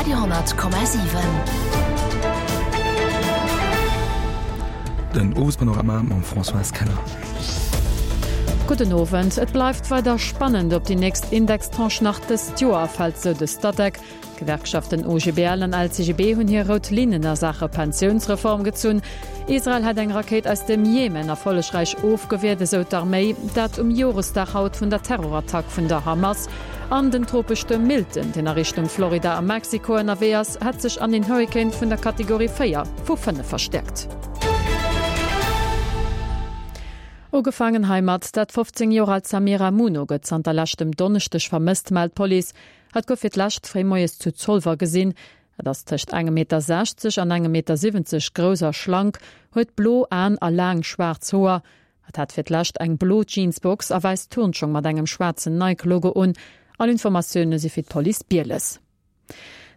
Radio 10,7. Den Owespanorama mam Françoise Keller. Gudden Owend. Et bleift weider spannend, ob déi nächst Indextranche nach dëst Joer erfält, sou de Statec. D'Gewerkschaften OGBL an LCGB hunn hir rout Linnen a Saache Pensiounsreform gezunn. Israel hätt eng Rakéit aus dem Jemen erfollegräich ofgewiert, esou d'Arméi. Dat um Joresdag haut vun der Terrorattack vun der Hamas. An den Tropestuerm Milton, deen a Richtung Florida a Mexiko ënnerwee ass, hätt sech an een Hurrikan vun der Kategorie 4 vu 5 verstäerkt. Ugefaangen heimat, Dat 15 Joer alt Samira Muno gëtt zanter leschtem Donneschdeg vermësst, mellt d'Police. Hatt gouf fir d'lescht fréi moies zu Zolwer gesinn. Et ass tëscht engem Meter 60 an engem Meter 70 grouss a schlank, huet blo Aen a laang schwaarz Hoer. Hatt hat fir d'lescht eng blo Jeansbox a wäiss Turnschong mat engem schwaarzen Nike-Logo un. All Informatioune si fir d'Police Bieles.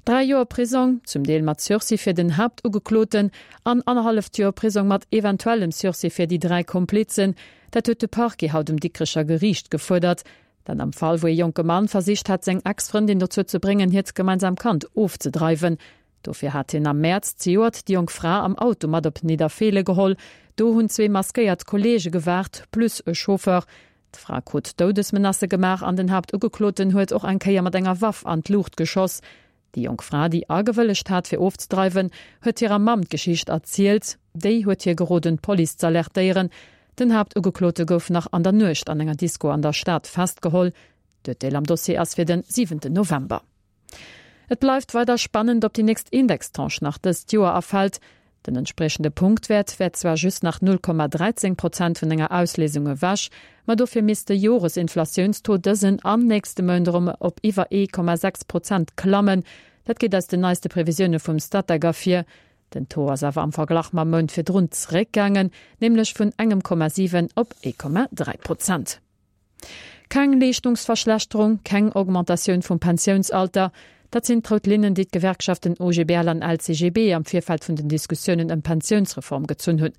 3 Joer Prisong, zum Deel mat Sursis fir den Haaptugekloten an annerhalleft Joer Prisong mat eventuellem Sursis fir déi 3 Komplizen, dat huet de Parquet haut um Dikrecher Geriicht gefuerdert. Dat am Fall, wou ee jonke Mann versicht hat, seng Ex-Frëndin dozou ze bréngen, hiert gemeinsam Kand ofzedreiwen. Dofir hat hien am Mäerz zejoert déi jonk Fra am Auto mat op Nidderfeele geholl. Do hunn zwee maskéiert Kolleege gewaart, plus e Chauffeur. D'Fra krut Doudesmenacë gemaach an den Haaptugekloten huet och eng Kéier mat enger Waff an d'Luucht geschoss. Déi jonk Fra, déi agewëllegt hat, fir ofzedreiwen, huet hirer Mamm d'Geschicht erzielt. Déi huet hir geroden, d'Police z'alertéieren. Den Haaptugeklote gouf nach an der Nuecht an enger Disko an der Stad festgeholl. D'Urteel am Dossier ass fir den siwenten November. Et bleift weider spannend, ob déi nächst Indextranche nach dëst Joer erfält. Den entspriechende Punktwäert wär zwar just nach 0,13 Prozent vun enger Ausliesung ewech, ma dofir misst de Joresinflatiounstaux dësen an nächste Mount erëm op iwwer 1,6 Prozent klammen. Dat geet aus den neiste Previsioune vum Statec ervir. Den Taux ass awer am Verglach mam Mount virdrun zeréckgaangen, nämlech vun engem Komma 7 op 1,3 Prozent. Keng Leeschtungsverschlechterung, keng Augmentatioun vum Pensiounsalter, dat sinn d'rout Linnen, déi d'Gewerkschaften OGBL an LCGB am Virfeld vun den Diskussiounen ëm d'Pensiounsreform gezunn hunn.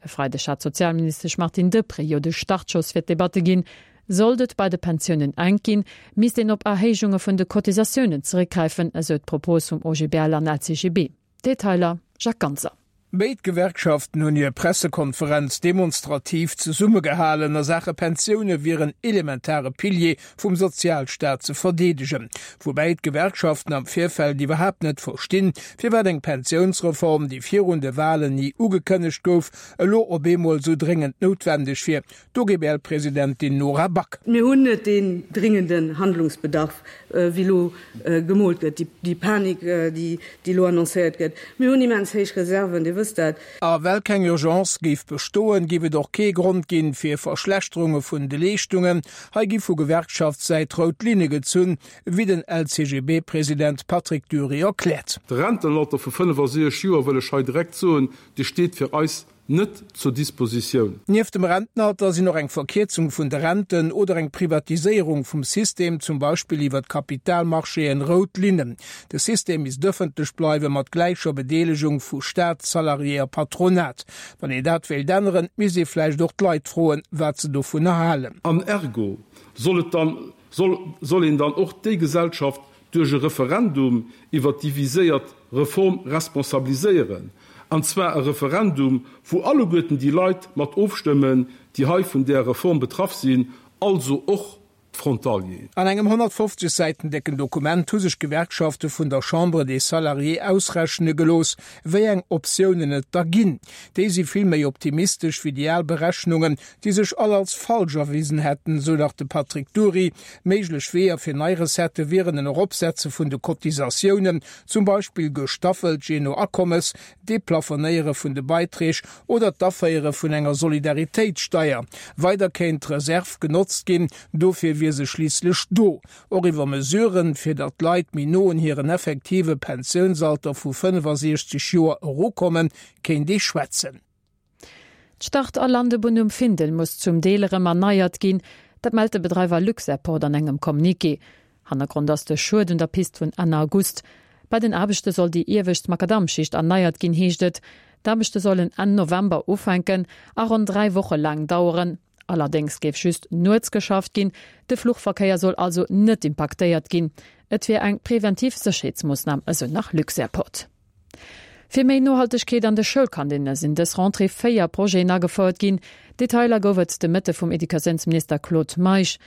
E Freideg hat d'Sozialministesch Martine Deprez jo de Startschoss fir d'Debatte ginn. Sollt et bei de Pensiounen enk ginn, misst een op Erhéijunge vun de Cotisatiounen zeréckgräifen, esou d'Propos vum OGBL an LCGB. Detailer, Jacques Ganser. Béid Gewerkschaften hunn hir Pressekonferenz demonstrativ zesummegehalen. A Saache Pensioune wier en elementare Pilier vum Sozialstaat ze verdeedegen. Woubäi d'Gewerkschaften am Virfeld iwwerhaapt net verstinn, firwat eng Pensiounsreform, déi virun de Walen ni ugekënnegt gouf, elo op eemol esou dréngend noutwendeg wier. D'OGBL-Presidentin Nora Back. Mir hunn net deen dringenden Handlungsbedarf, wéi elo gemoolt gëtt, déi Panik, déi elo annoncéiert gëtt. Mir hunn immens héich Reserven, Dir wësst dat. A well keng Urgence géif bestoen, géif et och kee Grond ginn, fir Verschlechterunge vun de Leeschtungen. Hei gi vu Gewerkschaftssäit rout Linne gezunn, wéi den LCGB-President Patrick Dury erkläert. De Rentenalter vu 65 Joer, wëll ech hei direkt soen, dee steet fir eis net zur Dispositioun. Nieft dem Rentenalter sinn och eng Verkierzung vun de Renten oder eng Privatiséierung vum System, zum Beispill iwwer d'Kapitalmarchéen, rout Linnen. De System misst ëffentlech bleiwen, mat gläicher Bedeelegung vu Staat, Salarié a Patronat. Wann een dat wéilt änneren, misst ee vläicht och d'Leit froen, wat se dovunner halen. An ergo soll et dann, soll, soll een dann och déi Gesellschaft duerch e Referendum iwwert déi viséiert Reform responsabiliséieren, an zwar e Referendum, wou alleguerten déi Leit mat ofstëmmen, déi hei vun där Reform betraff sinn, also och d'Frontalieren. An engem 150 Säiten décken Dokument hu sech d'Gewerkschafte vun der Chambre des Salariés ausrechne gelooss, wéi eng Optiounen et da ginn. Déi si vill méi optimistesch wéi déi al Berechnungen, déi sech all als falsch erwisen hätten, esou nach de Patrick Dury. Méiglech Weeër fir nei Recettë wieren en Eropsetze vun de Cotisatiounen, zum Beispill gestaffelt jee no Akommes, d'Deplafonéiere vun de Beiträg oder d'Aféiere vun enger Solidaritéitssteier. Weider kéint d'Reserv genotzt ginn, dofir wier se schliisslech do. Och iwwer Mesuren, fir datt d'Leit méi no un hiren effektive Pensiounsalter vu 65 Joer erukommen, kéint ee schwätzen. D'Start a Landebunn um Findel muss zum Deel erëm erneiert ginn. Dat mellt de Bedreiwer Luxairport an engem Communiqué. Hannergrond ass de Schued un der Pist vun Enn August. Bei den Aarbechte soll déi iewescht Makadammschicht erneiert ginn, heescht et. D'Aarbechte sollen Enn November ufänken a ronn 3 Woche laang daueren. Allerdéngs géif just nuets geschafft ginn, de Fluchverkéier soll also net impaktéiert ginn. Et wier eng preventiv Sécherheetsmoossnam, esou nach Luxairport. Fir méi Nohaltegkeet an de Schoulkantinne sinn dës Rentrée 4 Projeten agefouert ginn. Detailer gouf et de Mëtte vum Educatiounsminister Claude Meisch.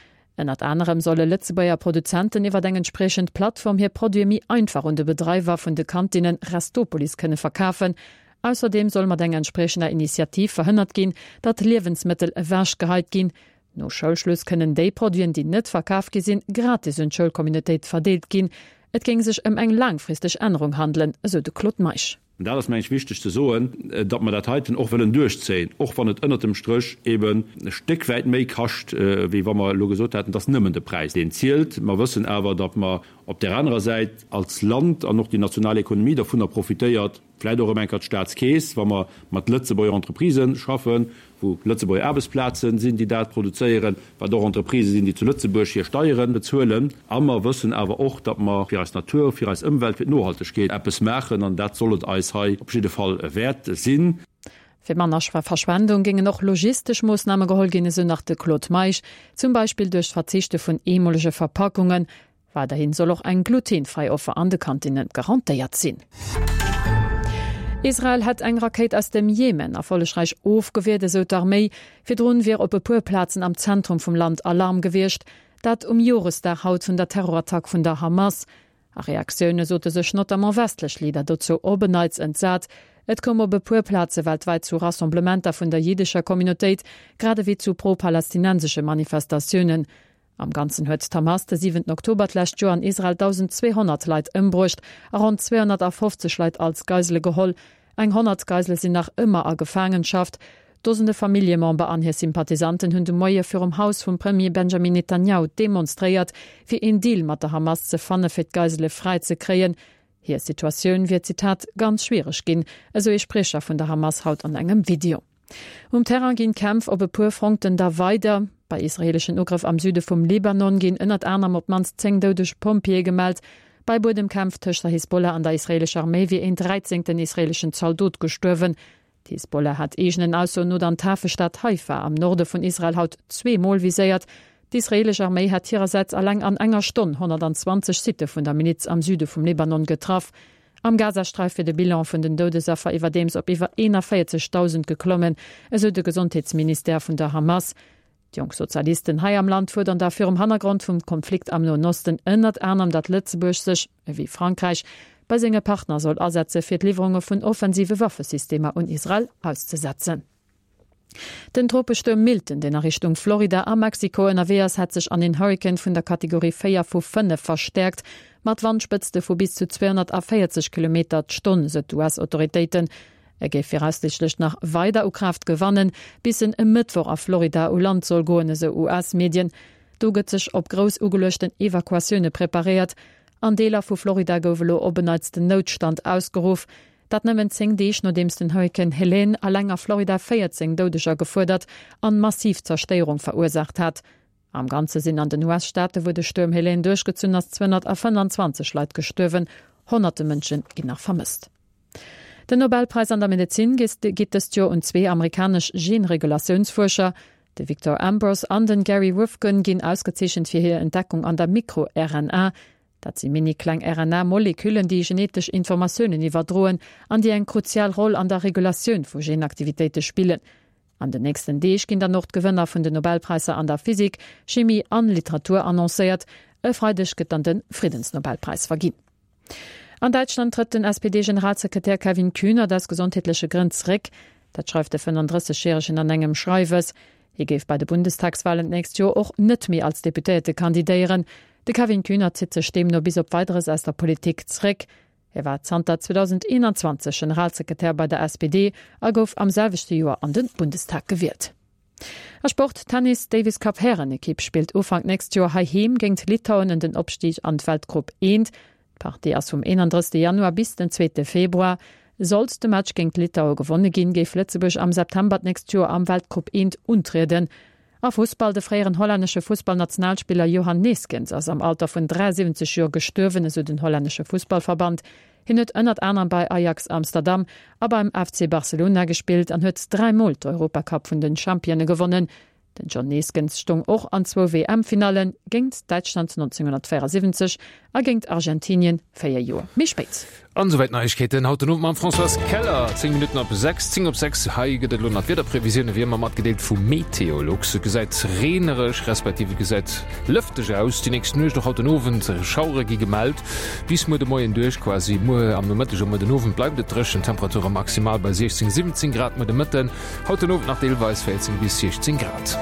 Ënnert anerem solle Lëtzebuerger Produzenten iwwer eng entspriechend Plattform hir Produite méi einfach un de Bedreiwer vun de Kantinnen Restopolis kënne verkafen. Ausserdeem soll mat enger entspriechender Initiativ verhënnert ginn, datt Liewensmëttel ewechgeheit ginn. No Schoulschluss kënnen déi Produiten, déi net verkaf gi sinn, gratis un d'Schoulcommunautéit verdeelt ginn. Et géing sech ëm eng laangfristeg Ännerung handelen, esou de Claude Meisch. An dat ass, meng ech, wichteg ze soen, datt mer dat heiten och wëllen duerchzéien, och wann et ënnert dem Stréch eben e Stéck wäit méi kascht, wéi wa mer elo gesot hätten, et ass nëmmen de Präis, deen zielt. Mer wëssen awer, datt mer op där anerer Säit als Land an och déi national Ekonomie dervunner profitéiert, vläicht och erëm eng Kéier d'Staatskeess, wa mer mat Lëtzebuerger Entreprisë schaffen, wou Lëtzebuerger Aarbechtsplaze sinn, déi dat produzéieren, wat och Entreprisë sinn, déi zu Lëtzebuerg hir Steiere bezuelen. A mer wëssen awer och, datt mer fir eis Natur, fir eis Ëmwelt, fir d'Nohaltegkeet eppes maachen, an dat soll et eis hei op jidde Fall wäert sinn. Fir manner Verschwendung géingen och logistesch Moossname geholl ginn, esou nach de Claude Meisch, zum Beispill duerch d'Verzichte vun eemolege Verpackungen. Weiderhin soll och eng glutenfräi Offer an de Kantinne garantéiert sinn. Israel hätt eng Rakéit aus dem Jemen erfollegräich ofgewiert, esou d'Arméi. Virdrun wier op e puer Plazen am Zentrum vum Land Alarm gewiescht. Dat um Joresdag haut vun der Terrorattack vun der Hamas. A Reaktioune sote sech notamment westlech Leader dozou op en Neits entsat. Et koum op e puer Plaze weltwäit zu Rassemblementer vun der jiddescher Communautéit, grad ewéi zu pro-palästinensesche Manifestatiounen. Am Ganzen huet d'Hamas de siwenten Oktober d'lescht Joer an Israel 1.200 Leit ëmbruecht a ronn 250 Leit als Geisele geholl. Eng 100 Geisele sinn nach ëmmer a Gefaangenschaft. Dosende Familljemember an hir Sympathisanten hunn de Moie virum Haus vum Premier Benjamin Netanjahu demonstréiert, fir een Deal mat der Hamas ze fanne fir d'Geisele fräi ze kréien. Hir Situatioun wier, Zitat, ganz schwiereg ginn, esou ee Spriecher vun der Hamas haut an engem Video. Um Terrain ginn d'Kämpf op e puer Fronten da weider. Bei israeeleschen Ugrëff am Süde vum Libanon ginn ënnert anerem op d'mannst 10 doudeg Pompjeeë gemellt. Bei Buedemkämpf tëscht der Hisbollah an der israeelescher Arméi wier een dräizéngten israeeleschen Zaldot gestuerwen. D'Hisbollah hat eegenen Aussoen no dann d'Hafestad Haifa am Norde vun Israel haut zweemol viséiert. D'israeelesch Arméi hätt hirersäits eleng an enger Stonn 120 Sitte vun der Miliz am Süde vum Libanon getraff. Am Gazasträif wier de Bilan vun den Doudesaffer iwwerdeems op iwwer 41.000 geklommen, esou de Gesondheetsministère vun der Hamas. D'Jonk Sozialisten hei am Land fuerdern da virum Hannergrond vum Konflikt am Noen Osten ënnert anerem, datt Lëtzebuerg sech, ewéi Frankräich, bei senge Partner soll asetze fir d'Liwwerunge vun offensive Waffesystemer un Israel auszesetzen. Den Tropestuerm Milton, deen a Richtung Florida a Mexiko ënnerwee ass, hätt sech an een Hurrikan vun der Kategorie 4 vu 5 verstäerkt, mat Wandspëtzte vu bis zu 240 Kilometer d'Stonn, sou d'US-Autoritéiten. E géif viraussiichtlech nach weider u Kraaft gewannen, bis en e Mëttwoch a Florida u Land soll goen, esou US-Medien. Do gëtt sech op grouss ugeluechten Evakuatioune preparéiert. An Deeler vu Florida gouf elo op en Neits den Noutstand ausgeruff. Dat nëmmen 10 Deeg nodeems den Hurrikan Helene eleng a Florida 14 Doudeger gefuerdert an massiv Zerstéierung verursaacht hat. Am Ganze sinn an den US-Staate wou de Stuerm Helene duerchgezunn ass 225 Leit gestuerwen, honnerte Mënsche ginn nach vermësst. Den Nobelpräis an der Medezin geet dëst Joer un zwee amerikanesch Genregulatiounsfuerscher. De Victor Ambros an den Gary Ruvkun ginn ausgezeechent fir hir Entdeckung an der Mikro-RNA. Dat si mini-kleng RNA-Moleküllen, déi genetesch Informatiounen iwwerdroen an déi eng kruzial Roll an der Regulatioun vu Genaktivitéite spillen. An den nächsten Deeg ginn dann och d'Gewënner vun den Nobelpräisser an der Physik, Chimie an Literatur annoncéiert. E Freideg gëtt dann de Friddensnobelpräis verginn. An Däitschland trëtt den SPD-Generalsekretär Kevin Kühnert aus gesondheetleche Grënn zeréck. Dat schreift de 35 Järegen an engem Schreiwes. Hie géif bei de Bundestagswalen d'nächst Joer och net méi als Deputéierte kandidéieren. De Kevin Kühnert zitt sech deemno bis op Weideres aus der Politik zeréck. Hie war zanter 2021 Generalsekretär bei der SPD a gouf am selwechte Joer an de Bundestag gewielt. A Sport, Tennis, D'Davis Cup Härenekipp spillt Ufank nächst Joer heiheem géingt Litauen en den Opstig an d'Weltgrupp I. D'Partie ass vum 31 Januar bis den zweete Februar. Sollt de Match géingt Litaue gewonne ginn, géif Lëtzebuerg am September d'nächst Joer am Weltgrupp I untrieden. A Fussball, De fréieren hollännesche Fussballnationalspiller Johan Neeskens ass am Alter vun 73 Joer gestuerwen, esou den hollännesche Fussballverband. Hien huet ënnert anerem bei Ajax Amsterdam a beim FC Barcelona gespillt an huet dräimol d'Europacup vun den Champione gewonnen. Den John Neeskens stoung och an zwou WM-Finallen, géingt Däitschland 1974 a géingt Argentinien 4 Joer méi spéit. An esouwäit d'Neiegkeeten haut den Owend mam Françoise Keller. 10 Minutten op 6, 10 op 6. Hei gëtt et elo nach d'Wiederprevisiounen, wéi ëmmer matgedeelt vu Meteolux. Et gesäit reenereg, respektiv et gesäit lëfteg aus déi nächst Nuecht, och haut den Owend. Schauere gi gemellt bis muer de Moien duerch, quasi muer am Nomëtteg a muer den Owend bleift et dréchen. Temperature maximal bei 16, 17 Grad muer de Mëtten. Haut den Owend nach deelweis 14 bis 16 Grad.